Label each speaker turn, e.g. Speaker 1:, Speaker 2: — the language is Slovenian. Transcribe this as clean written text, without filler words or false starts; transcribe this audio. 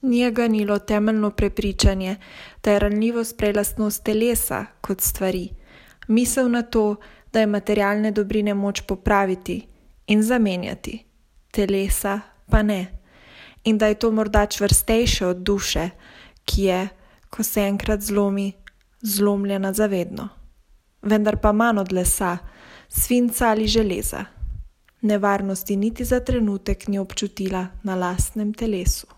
Speaker 1: Ni je ganilo temeljno prepričanje, da je ranljivost prej lastnost telesa kot stvari, misel na to, da je materialne dobrine moč popraviti in zamenjati, telesa pa ne, in da je to morda čvrstejše od duše, ki je, ko se enkrat zlomi, zlomljena zavedno, vendar pa manj od lesa, svinca ali železa. Nevarnosti niti za trenutek ni občutila na lastnem telesu.